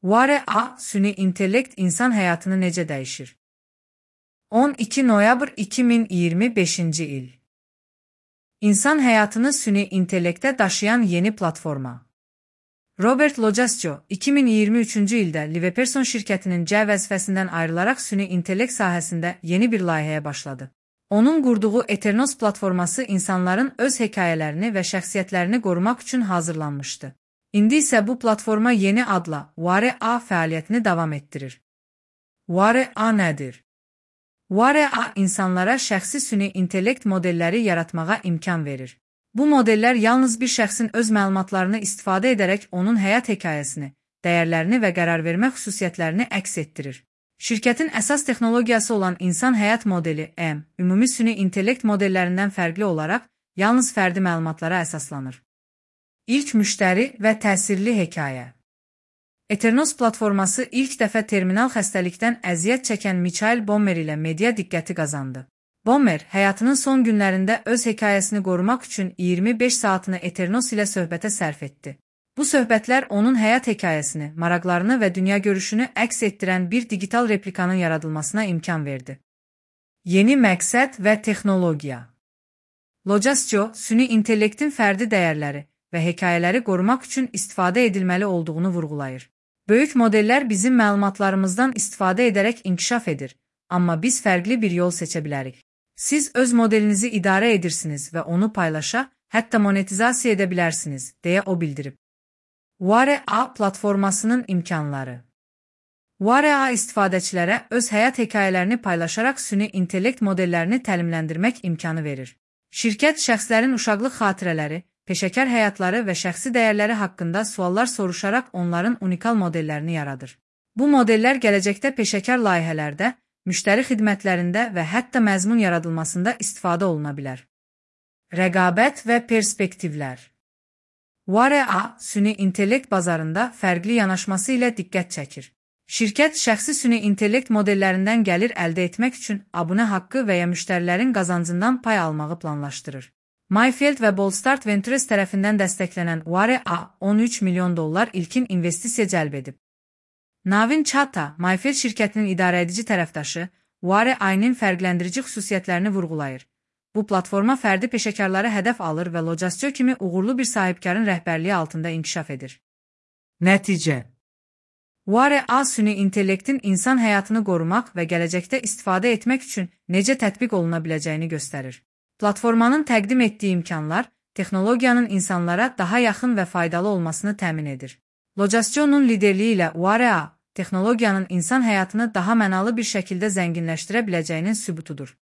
Ware-A, süni intellekt insan həyatını necə dəyişir? 12 noyabr 2025-ci il. İnsan həyatını süni intellektə daşıyan yeni platforma. Robert Lojascio, 2023-cü ildə Liveperson şirkətinin C vəzifəsindən ayrılaraq süni intellekt sahəsində yeni bir layihəyə başladı. Onun qurduğu Eternos platforması insanların öz hekayələrini və şəxsiyyətlərini qorumaq üçün hazırlanmışdı. İndi isə bu platforma yeni adla Ware-A fəaliyyətini davam etdirir. Ware-A nədir? Ware-A insanlara şəxsi süni intellekt modelləri yaratmağa imkan verir. Bu modellər yalnız bir şəxsin öz məlumatlarını istifadə edərək onun həyat hekayəsini, dəyərlərini və qərar vermə xüsusiyyətlərini əks etdirir. Şirkətin əsas texnologiyası olan insan həyat modeli M, ümumi süni intellekt modellərindən fərqli olaraq yalnız fərdi məlumatlara əsaslanır. İlk müştəri və təsirli hekayə. Eternos platforması ilk dəfə terminal xəstəlikdən əziyyət çəkən Michael Bommer ilə media diqqəti qazandı. Bommer, həyatının son günlərində öz hekayəsini qorumaq üçün 25 saatını Eternos ilə söhbətə sərf etdi. Bu söhbətlər onun həyat hekayəsini, maraqlarını və dünyagörüşünü əks etdirən bir digital replikanın yaradılmasına imkan verdi. Yeni məqsəd və texnologiya. Lojascio, süni intellektin fərdi dəyərləri və hekayələri qorumaq üçün istifadə edilməli olduğunu vurğulayır. Böyük modellər bizim məlumatlarımızdan istifadə edərək inkişaf edir, amma biz fərqli bir yol seçə bilərik. Siz öz modelinizi idarə edirsiniz və onu paylaşa, hətta monetizasiya edə bilərsiniz, deyə o bildirib. Ware-A platformasının imkanları. Ware-A istifadəçilərə öz həyat hekayələrini paylaşaraq süni intellekt modellərini təlimləndirmək imkanı verir. Şirkət şəxslərin uşaqlıq xatirələri, peşəkar həyatları və şəxsi dəyərləri haqqında suallar soruşaraq onların unikal modellərini yaradır. Bu modellər gələcəkdə peşəkar layihələrdə, müştəri xidmətlərində və hətta məzmun yaradılmasında istifadə oluna bilər. Rəqabət və perspektivlər. Ware-A süni intellekt bazarında fərqli yanaşması ilə diqqət çəkir. Şirkət şəxsi süni intellekt modellərindən gəlir əldə etmək üçün abunə haqqı və ya müştərilərin qazancından pay almağı planlaşdırır. Mayfield və Boldstart Ventures tərəfindən dəstəklənən Ware-A $13 milyon ilkin investisiya cəlb edib. Navin Chata, Mayfield şirkətinin idarəedici tərəfdaşı, Ware-A-nın fərqləndirici xüsusiyyətlərini vurğulayır. Bu platforma fərdi peşəkarları hədəf alır və Lojascio kimi uğurlu bir sahibkarın rəhbərliyi altında inkişaf edir. Nəticə. Ware-A süni intellektin insan həyatını qorumaq və gələcəkdə istifadə etmək üçün necə tətbiq oluna biləcəyini göstərir. Platformanın təqdim etdiyi imkanlar, texnologiyanın insanlara daha yaxın və faydalı olmasını təmin edir. Lojascionun liderliyi ilə Ware-A, texnologiyanın insan həyatını daha mənalı bir şəkildə zənginləşdirə biləcəyinin sübutudur.